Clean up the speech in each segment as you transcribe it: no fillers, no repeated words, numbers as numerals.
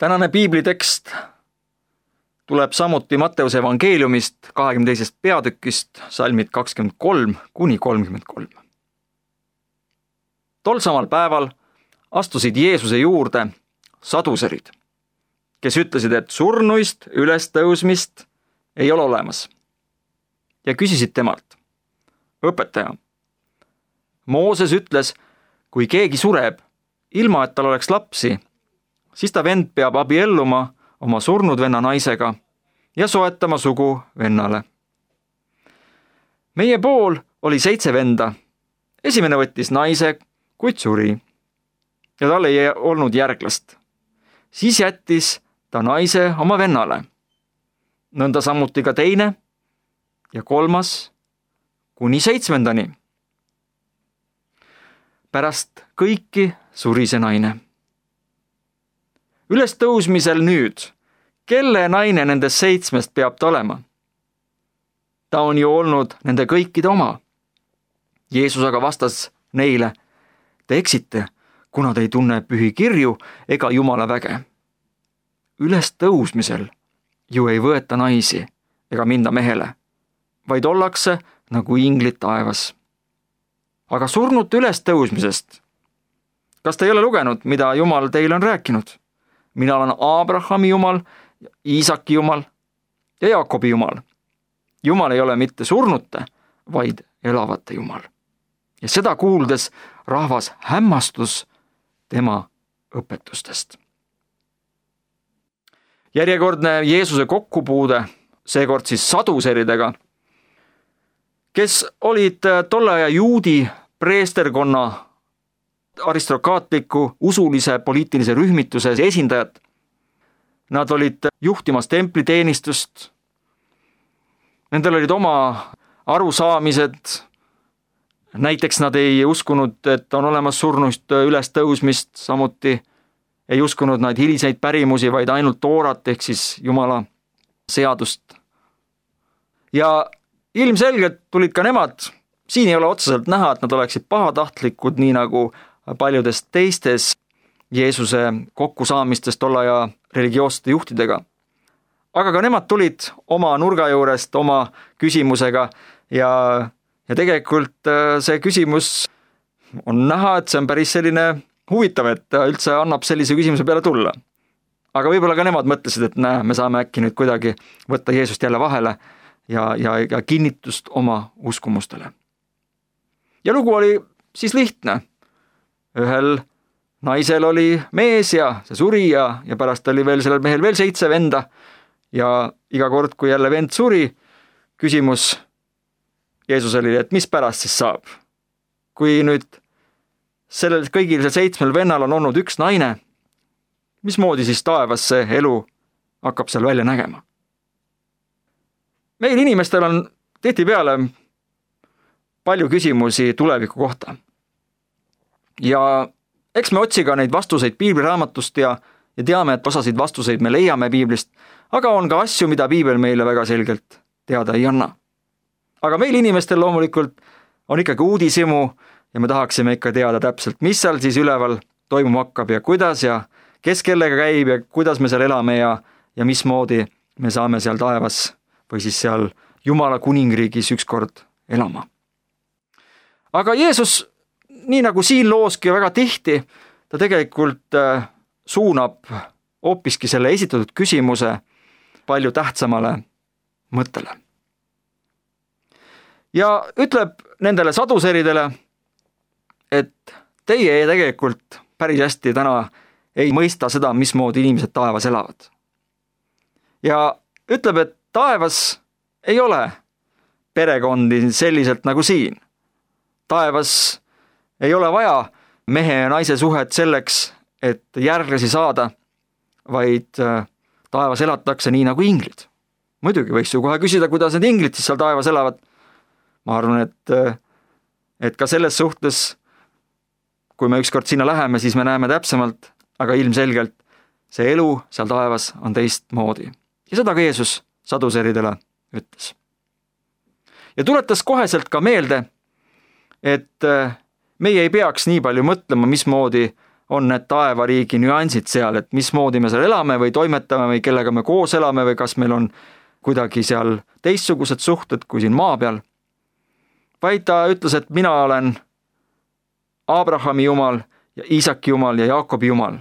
Tänane piiblitekst tuleb samuti Matteuse evangeeliumist 22. peatükist, salmid 23–33. Tol samal päeval astusid Jeesuse juurde saduserid, kes ütlesid, et surnuist ülestõusmist ei ole olemas, ja küsisid temalt: õpetaja, Mooses ütles, kui keegi sureb, ilma et tal oleks lapsi, siis ta vend peab abielluma oma surnud venna naisega ja soetama sugu vennale. Meie pool oli 7 venda. Esimene võttis naise, kuid suri, ja tal ei olnud järglast. Siis jättis ta naise oma vennale. Nõnda samuti ka teine ja 3. kuni 7. Pärast kõiki suri see naine. Ülestõusmisel nüüd, kelle naine nendest 7 peab ta olema? Ta on ju olnud nende kõikide oma. Jeesus aga vastas neile: te eksite, kuna te ei tunne pühi kirju ega Jumala väge. Ülestõusmisel ju ei võeta naisi ega minda mehele, vaid ollakse nagu inglid taevas. Aga surnute ülestõusmisest, kas te ei ole lugenud, mida Jumal teile on rääkinud? Mina olen Abrahami Jumal, Iisaki Jumal ja Jaakobi Jumal. Jumal ei ole mitte surnute, vaid elavate Jumal. Ja seda kuuldes rahvas hämmastus tema õpetustest. Järjekordne Jeesuse kokkupuude, seekord siis saduseridega, kes olid tolle aja juudi preesterkonna aristokraatliku usulise poliitilise rühmituse esindajad. Nad olid juhtimas templiteenistust. Nendel olid oma arusaamised. Näiteks nad ei uskunud, et on olemas surnuist ülestõusmist, samuti ei uskunud nad hiliseid pärimusi, vaid ainult toorat ehk siis Jumala seadust. Ja ilmselgelt tulid ka nemad, siin ei ole otseselt näha, et nad oleksid pahatahtlikud, nii nagu paljudest teistes Jeesuse kokkusaamistest tolle aja religioossete juhtidega. Aga ka nemad tulid oma nurga juurest oma küsimusega ja tegelikult see küsimus on näha, et see on päris selline huvitav, et üldse annab sellise küsimuse peale tulla. Aga võib-olla ka nemad mõtlesid, et me saame äkki nüüd kuidagi võtta Jeesust jälle vahele ja kinnitust oma uskumustele. Ja lugu oli siis lihtne. Ühel naisel oli mees ja see suri ja pärast oli veel sellel mehel veel 7 venda ja iga kord, kui jälle vend suri, küsimus Jeesus oli, et mis pärast siis saab? Kui nüüd sellel kõigil 7 vennal on olnud 1 naine, mismoodi siis taevas see elu hakkab seal välja nägema? Meil inimestel on tihtipeale palju küsimusi tuleviku kohta. Ja eks me otsiga neid vastuseid piibliraamatust ja teame, et osasid vastuseid me leiame piiblist, aga on ka asju, mida piibel meile väga selgelt teada ei anna. Aga meil inimestel loomulikult on ikkagi uudishimu ja me tahaksime ikka teada täpselt, mis seal siis üleval toimuma hakkab ja kuidas ja kes kellega käib ja kuidas me seal elame ja mismoodi me saame seal taevas või siis seal Jumala kuningriigis ükskord elama. Aga Jeesus, nii nagu siin looski väga tihti, ta tegelikult suunab hoopiski selle esitatud küsimuse palju tähtsamale mõttele. Ja ütleb nendele saduseridele, et teie tegelikult päris hästi täna ei mõista seda, mismoodi inimesed taevas elavad. Ja ütleb, et taevas ei ole perekondi selliselt nagu siin. Taevas ei ole vaja mehe ja naise suhet selleks, et järglasi saada, vaid taevas elatakse nii nagu inglid. Muidugi võiks ju kohe küsida, kuidas need inglid siis seal taevas elavad. Ma arvan, et ka selles suhtes, kui me ükskord sinna läheme, siis me näeme täpsemalt, aga ilmselgelt see elu seal taevas on teistmoodi. Ja seda ka Jeesus saduseridele ütles. Ja tuletas koheselt ka meelde, et meie ei peaks nii palju mõtlema, mismoodi on need taevariigi nüansid seal, et mismoodi me seal elame või toimetame või kellega me koos elame või kas meil on kuidagi seal teistsugused suhted kui siin maa peal. Vaid ta ütles, et mina olen Abrahami Jumal ja Iisaki Jumal ja Jaakobi Jumal.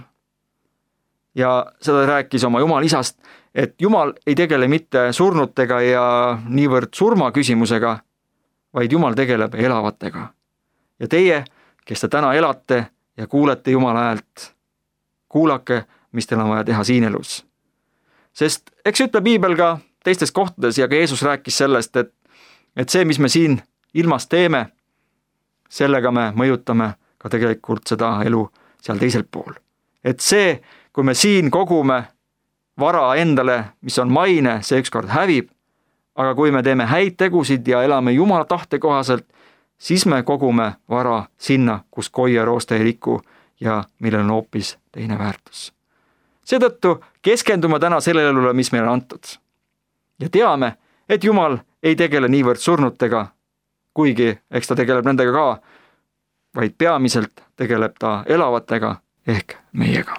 Ja seda rääkis oma Jumal isast, et Jumal ei tegele mitte surnutega ja niivõrd surma küsimusega, vaid Jumal tegeleb elavatega. Ja teie, kes te täna elate ja kuulete Jumala häält, kuulake, mis teil on vaja teha siin elus. Sest eks ütle Piibel ka teistes kohtades ja ka Jeesus rääkis sellest, et see, mis me siin ilmas teeme, sellega me mõjutame ka tegelikult seda elu seal teisel pool. Et see, kui me siin kogume vara endale, mis on maine, see ükskord hävib, aga kui me teeme häid tegusid ja elame Jumala tahte kohaselt, siis me kogume vara sinna, kus koi ja rooste ei riku ja millel on hoopis teine väärtus. Seetõttu keskendume täna sellele elule, mis meile on antud. Ja teame, et Jumal ei tegele niivõrd surnutega, kuigi eks ta tegeleb nendega ka, vaid peamiselt tegeleb ta elavatega ehk meiega.